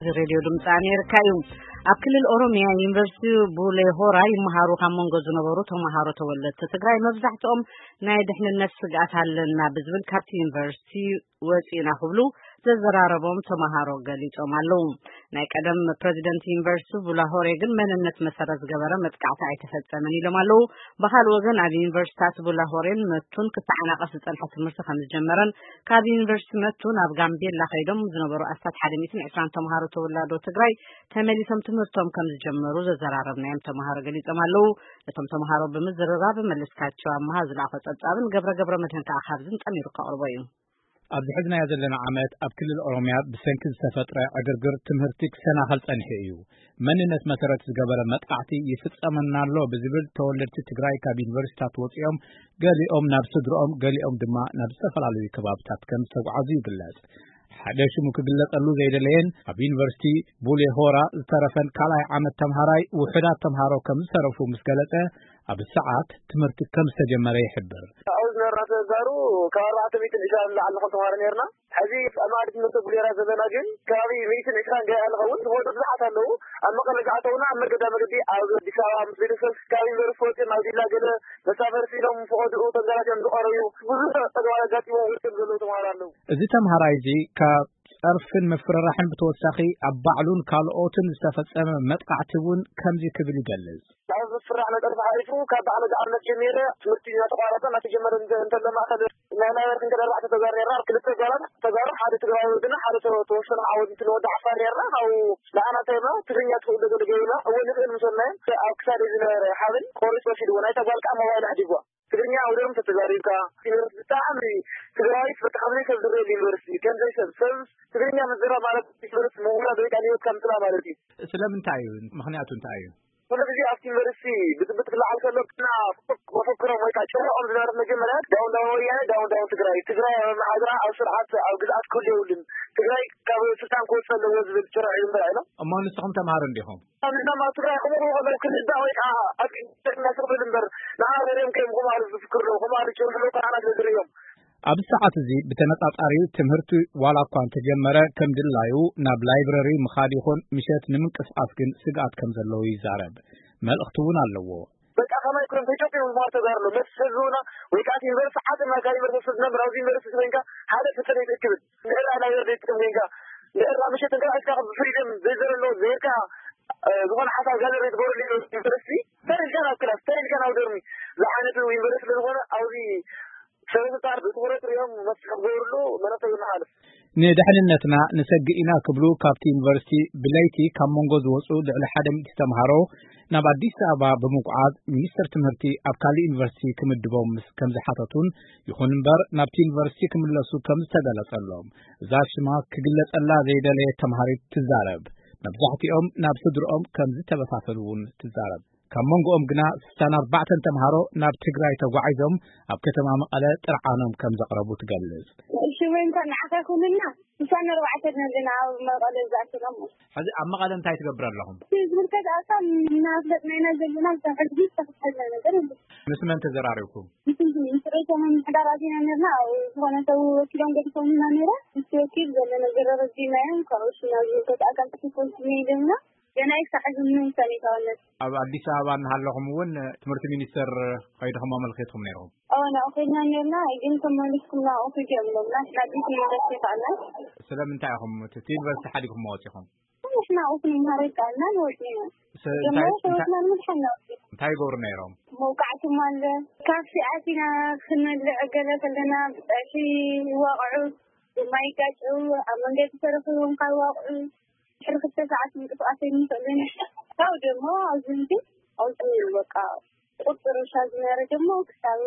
እዚ ሬድዮ ድምፂ ኣሜሪካ እዩ። ኣብ ክልል ኦሮሚያ ዩኒቨርሲቲ ቡሌ ሆራ ይመሃሩ ካብ መንጎ ዝነበሩ ተምሃሮ ተወለድቲ ትግራይ መብዛሕትኦም ናይ ድሕንነት ስግኣት ኣለና ብዝብል ካብቲ ዩኒቨርሲቲ ወፂእና ክብሉ ዘዘራረቦም ተምሃሮ ገሊፆም ኣለዉ። ናይ ቀደም ፕሬዚደንት ዩኒቨርሲቲ ቡላሆሬ ግን መንነት መሰረት ዝገበረ መጥቃዕቲ ኣይተፈፀመን ኢሎም ኣለዉ። ብኻልእ ወገን ኣብ ዩኒቨርሲታት ቡላሆሬን መቱን ክተዓናቐፍ ዝፀንሐ ትምህርቲ ከም ዝጀመረን ካብ ዩኒቨርሲቲ መቱ ናብ ጋምቤላ ከይዶም ዝነበሩ ኣስታት ሓደ ሚእትን ዕስራን ተምሃሮ ተወላዶ ትግራይ ተመሊሶም ትምህርቶም ከም ዝጀመሩ ዘዘራረብናዮም ተምሃሮ ገሊጾም ኣለዉ። ነቶም ተምሃሮ ብምዝርራብ መለስካቸው ኣምሃ ዝለኣኾ ጸብጻብን ገብረ ገብረ መድህን ከኣ ካብዝን ጸሚሩ ከቕርቦ እዩ። ኣብዚ ሕዝናዮ ዘለና ዓመት ኣብ ክልል ኦሮምያ ብሰንኪ ዝተፈጥረ ዕግርግር ትምህርቲ ክሰናኸል ጸኒሑ እዩ። መንነት መሰረት ዝገበረ መጥቃዕቲ ይፍጸመና ኣሎ ብዝብል ተወለድቲ ትግራይ ካብ ዩኒቨርሲታት ወጺኦም ገሊኦም ናብ ስድርኦም ገሊኦም ድማ ናብ ዝተፈላለዩ ከባብታት ከም ዝተጓዓዙ ይግለጽ። ሓደ ሽሙ ክግለጸሉ ዘይደለየን ኣብ ዩኒቨርሲቲ ቡሌ ሆራ ዝተረፈን ካልኣይ ዓመት ተምሃራይ ውሑዳት ተምሃሮ ከም ዝተረፉ ምስ ገለጸ ኣብ ሰዓት ትምህርቲ ከም ዝተጀመረ ይሕብር። ኣብኡ ዝነበርና ተጋሩ ካብ ኣርባዕተ ሚእትን ዕስራን ንላዕሊ ንኾን ተምሃሮ ነርና። ሕዚ ኣብ ማእዲ ትምህርቲ ቡሌራ ዘለና ግን ከባቢ ሚእትን ዕስራን ገያ ንኸውን ዝወዱ ብዙሓት ኣለዉ። ኣብ መቐለ ዝኣተውና ኣብ መገዳ መገዲ ኣብ ኣዲስ ኣበባ ምስ ቤተሰብ ካብ ዩኒቨርሲቲ ወፅኦም ኣብ ዲላ ገለ መሳፈርቲ ኢሎም ፈቐድኡ ተንገላትዮም ዝቐረዩ ብዙሕ ፀገማት ኣጋጢሞም ወፅኦም ዘለዉ ተምሃሮ ኣለዉ። እዚ ተምሃራይ እዚ ካብ ጸርፍን ምፍርራሕን ብተወሳኺ ኣብ ባዕሉን ካልኦትን ዝተፈጸመ መጥቃዕቲ እውን ከምዚ ክብል ይገልጽ። ካብ ምፍራሕ መጠን ተሓሊፉ ካብ ባዕሉ ዝኣምነት ጀሚረ ትምህርቲ እናተቋረጠ እናተጀመረ እንተ- እንተሎ ማእከል ናይ ናይበር ክንከደ ኣርባዕተ ተጋሩ ነርና። ኣብ ክልተ ጓላት ተጋሩ ሓደ ትግራዊ ወድና ሓደ ተ- ተወሰነ ዓወት እንትን ወዲ ዓፋር ነርና። ካብኡ ንዓና እንታይ ኢልና ትግርኛ ትኽእሉ ዶ ገለ ገይሩና እወ ንኽእል ምስ በልናዮ ኣብ ክሳደ ዝነበረ ሓብል ቆሪጹ ወሲድዎ። ናይታ ጓል ከዓ ሞባይል ኣሕዲግዋ። ትግርኛ ኣውደርም ተተዛሪብካ ዩኒቨርሲቲ ብጣዕሚ ትግራዊት በቃ ከምዘይ ሰብ ዝረየሉ ዩኒቨርሲቲ ከምዘይ ሰብ ሰብ ትግርኛ ምዝራብ ማለት ዩኒቨርሲቲ ምውራድ ወይ ከዓ ንህይወትካ ምጥላእ ማለት እዩ። ስለምንታይ እዩ? ምኽንያቱ እንታይ እዩ? ኩሉ ግዜ ኣብቲ ዩኒቨርሲቲ ብጥብጥ ክለዓል ከሎ ግና መፈክሮም ወይ ከዓ ጭርሖም ዝነበረት መጀመርያ ዳውን ዳውን ወያነ ዳውን ዳውን ትግራይ ትግራይ ኣብ መሓድራ ኣብ ስርዓት ኣብ ግዝኣት ክህሉ የብሉን ትግራይ ካብ ስልጣን ክወፅእ ኣለዎ ዝብል ጭርሖ እዩ እምበር ኣይሎም። እሞ ንስኹም ተምሃሮ እንዲኹም? ኣብ ንዛማ ትግራይ ከምኡ ከለዉ ክንዛእ ወይ ከዓ ኣጥቂና ስቕ ብል እምበር ንዓና ዘርእዮም ከዮም ከምኡ ኣሉ ዝፍክር ኣለዉ ከምኡ ኣሉ ጭርሑ ኣለዉ ከዓ ንዓና ስለ ዝርእዮም። ኣብዚ ሰዓት እዚ ብተነጻጻሪ ትምህርቲ ዋላ እኳ እንተጀመረ ከም ድላዩ ናብ ላይብረሪ ምኻድ ይኹን ምሸት ንምንቅስቓስ ግን ስግኣት ከም ዘለዎ ይዛረብ። መልእኽቲ እውን ኣለዎ። በቃ ከማይ ክሎም ተጨቂኑ ዝማር ተጋርሎ መስ ህዝብና ወይ ከዓ ዩኒቨርሲቲ ዓጥና ካብ ዩኒቨርሲቲ ዝነብር ኣብዚ ዩኒቨርሲቲ ኮይንካ ሓደ ፍልጠት ኣይትእክብን ንዕራ ላይብረሪ ትጥቅም ኮይንካ ንዕራ ምሸት እንካ እስካ ብፍሪደም ዘይዘረሎ ዘይርካ ዝኾነ ሓሳብ ጋለሪ ትገብረሉ ዩኒቨርሲቲ ተሪልካ ናብ ክላስ ተሪልካ ናብ ዶርሚ ዝዓይነቱ ዩኒቨርሲቲ ስለዝኾነ ኣብዚ ሰበስልጣን ብትኹረት ሪኦም መፍትሒ ክገብርሉ መለክተይ ይመሓልፍ። ንድሕንነትና ንሰግእ ኢና ክብሉ ካብቲ ዩኒቨርሲቲ ብለይቲ ካብ መንጎ ዝወፁ ልዕሊ ሓደ ሚእቲ ተምሃሮ ናብ ኣዲስ ኣበባ ብምጉዓዝ ሚኒስትር ትምህርቲ ኣብ ካልእ ዩኒቨርሲቲ ክምድቦም ምስ ከም ዝሓተቱን ይኹን እምበር ናብቲ ዩኒቨርሲቲ ክምለሱ ከም ዝተገለጸሎም እዛ ሽማ ክግለጸላ ዘይደለየት ተምሃሪት ትዛረብ። መብዛሕትኦም ናብ ስድርኦም ከም ዝተበታተኑ እውን ትዛረብ። ካብ መንጎኦም ግና ስሳን ኣርባዕተን ተምሃሮ ናብ ትግራይ ተጓዒዞም ኣብ ከተማ መቐለ ጥርዓኖም ከም ዘቕረቡ ትገልጽ። ሽመይ እንኳን ንዓኻ ይኹንልና ስሳን ኣርባዕተን ኣለና ኣብ መቐለ ዝኣተናሞ። ሕዚ ኣብ መቐለ እንታይ ትገብር ኣለኹም? እቲ ዝምልከት ኣካል እናፍለጥና ኢና ዘለና ብዛዕባ ሕዚ ዝተፈጠረ ነገር የለን። ምስ መን ተዘራሪብኩም? ምስ ሰበይቶም ምሕዳር ኣዚና ነርና ኣብ ዝኾነ ሰብ ወኪሎም ገዲፎምና ነይረ ምስ ወኪል ዘሎ ነገር ረዲናዮም ካብኡ ሽና ዝምልከት ኣካል ተፈኮልኩ ነይደምና ገና ይሳዕ ዝምንሰን ይተወለድ ኣብ ኣዲስ ኣበባ እናሃለኹም እውን ትምህርቲ ሚኒስቴር ከይድኹም ኣመልኪትኩም ነይርኩም? ኣዎ ናብኡ ከይድና ነርና ግን ተመሊስኩም ናብኡ ኪዱ እዮም ኢሎምና ናዲት ዩኒቨርሲቲ ከኣልና ስለምንታይ ኢኹም እቲ ዩኒቨርሲቲ ሓዲግኩም ወፂኹም? ንሕና ኣብኡ ክንመሃር ኣይከኣልናን ወፂና። ጀመረ ህይወትና ንምድሓን ኢና ወፂና። እንታይ ይገብሩ ነይሮም? መውቃዕቲ ኣሎ። ካፌ ኣቲና ክንበልዕ ገለ ከለና ብፀሒ ይዋቕዑ፣ ድማ ይጋጭው፣ ኣብ መንገዲ ተረኺቦም ካብ ይዋቕዑ ድሕሪ ክልተ ሰዓት ምንቅስቃስ ኣይንኽእልን። ካብኡ ደሞ ኣብዚ ህዝቢ ኣውፅኡ በቃ ቁፅሪ ሻ ዝነበረ ደሞ ክሳብ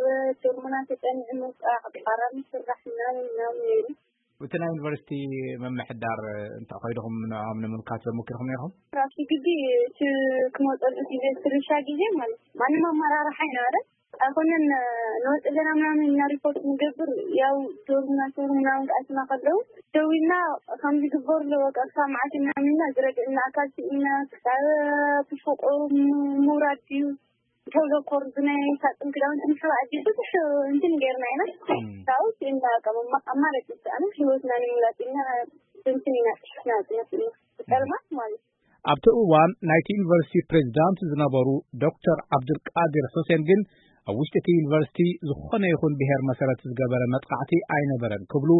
ዶርምና ተፀኒዑ ምውፃእ፣ ኣብ ጣራ ምስራሕ ምናምን ምናምን ነይሩ። እቲ ናይ ዩኒቨርሲቲ ምምሕዳር እንታይ ኮይድኹም ንዕኦም ንምምካት ዘመኪርኩም ነይርኩም? ኣብቲ ግቢ እቲ ክመፀሉ ግዜ እቲ ርብሻ ግዜ ማለት ማንም ኣመራርሓ ኣይነበረን ኣይኮነን ንወፅ ኣለና ምናምን እና ሪፖርት ንገብር ያው ዶርምና ሰሩ ምናምን ክኣትና ከለዉ ደዊልና ከም ዝግበር ኣለዎ ቀርሳ መዓት ምናምን እና ዝረድእና ኣካል ስኢና ክሳብ ብፍቁር ምውራድ ድዩ ተዘኮር ብናይ ሳጥን ክዳውንቲ ንሕዋ ኣዲ ብዙሕ እንትን ገይርና ኢና ካብኡ ስኢና ኣማራጭ ዝሰኣነ ህይወትና ንምምላጥ ኢልና ትንትን ኢና ጽሒፍና ጽነትና ብጸልማት ማለት እዩ። ኣብቲ እዋን ናይቲ ዩኒቨርሲቲ ፕሬዚዳንት ዝነበሩ ዶክተር ዓብዱልቃድር ሑሴን ግን ኣብ ውሽጢ እቲ ዩኒቨርሲቲ ዝኾነ ይኹን ብሔር መሰረት ዝገበረ መጥቃዕቲ ኣይነበረን ክብሉ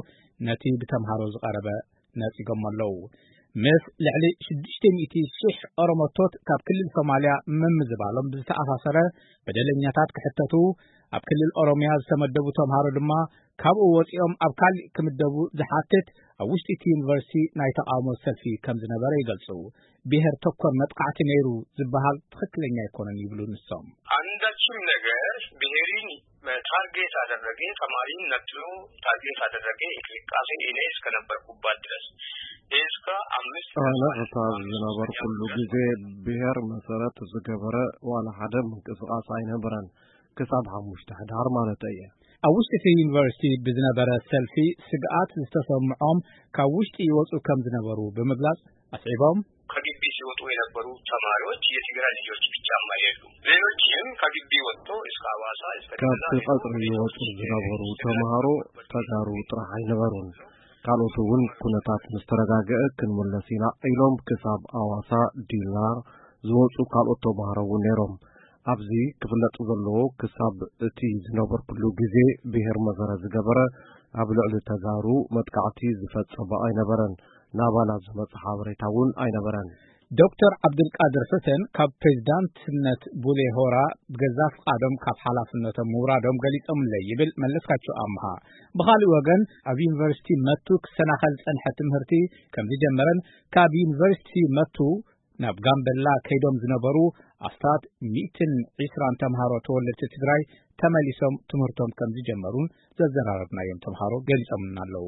ነቲ ብተምሃሮ ዝቐረበ ነጺጎም ኣለዉ። ምስ ልዕሊ ሽዱሽተ ሚእቲ ሺሕ ኦሮሞቶት ካብ ክልል ሶማልያ ምምዝባሎም ብዝተኣሳሰረ በደለኛታት ክሕተቱ፣ ኣብ ክልል ኦሮምያ ዝተመደቡ ተምሃሮ ድማ ካብኡ ወጺኦም ኣብ ካሊእ ክምደቡ ዝሓትት ኣብ ውሽጢ እቲ ዩኒቨርሲቲ ናይ ተቓውሞ ሰልፊ ከም ዝነበረ ይገልጹ። ብሔር ተኮር መጥቃዕቲ ነይሩ ዝበሃል ትኽክለኛ ኣይኮነን ይብሉ ንሶም። አንዳችም ነገር ብሔርን ታርጌት አደረገ፣ ተማሪን ነጥሎ ታርጌት አደረገ እንቅስቃሴ እኔ እስከነበርኩባት ድረስ እስከ አምስት አነ እታ ዝነበርኩሉ ጊዜ ብሔር መሰረት ዝገበረ ዋላ ሓደ ምንቅስቃስ ኣይነበረን። ክሳብ ሓሙሽተ ሕዳር ማለት እየ። ኣብ ውሽጢ እቲ ዩኒቨርሲቲ ብዝነበረ ሰልፊ ስግኣት ዝተሰምዖም ካብ ውሽጢ ይወጹ ከም ዝነበሩ ብምግላጽ ኣስዒቦም። ከግቢ ሲወጡ የነበሩ ተማሪዎች የትግራይ ልጆች ብቻም አይደሉም። ሌሎችም ከግቢ ወጥቶ እስከ ሐዋሳ እስከ ካብቲ ጅማ ቀጽሪ ሄደው ይወጹ ዝነበሩ ተምሃሮ ተጋሩ ጥራሕ ኣይነበሩን። ካልኦት እውን ኩነታት ምስ ተረጋገአ ክንምለስ ኢና ኢሎም ክሳብ ኣዋሳ ዲላ ዝወጹ ካልኦት ተምሃሮ እውን ነይሮም። ኣብዚ ክፍለጥ ዘለዎ ክሳብ እቲ ዝነበርኩሉ ግዜ ብሔር መሰረት ዝገበረ ኣብ ልዕሊ ተጋሩ መጥቃዕቲ ዝፈጸመ ኣይነበረን። ናባና ዝመጸ ሓበሬታ እውን ኣይነበረን። ዶክተር ዓብዱልቃድር ሑሴን ካብ ፕሬዚዳንትነት ቡሌ ሆራ ብገዛ ፍቓዶም ካብ ሓላፍነቶም ምውራዶም ገሊጾምለይ ይብል መለስካቸው ኣምሃ። ብኻልእ ወገን ኣብ ዩኒቨርሲቲ መቱ ክሰናኸል ዝጸንሐ ትምህርቲ ከም ዝጀመረን ካብ ዩኒቨርሲቲ መቱ ናብ ጋምበላ ከይዶም ዝነበሩ ኣስታት ሚእትን ዕስራን ተምሃሮ ተወለድቲ ትግራይ ተመሊሶም ትምህርቶም ከም ዝጀመሩን ዘዘራረብናዮም ተምሃሮ ገሊጾምልና ኣለዉ።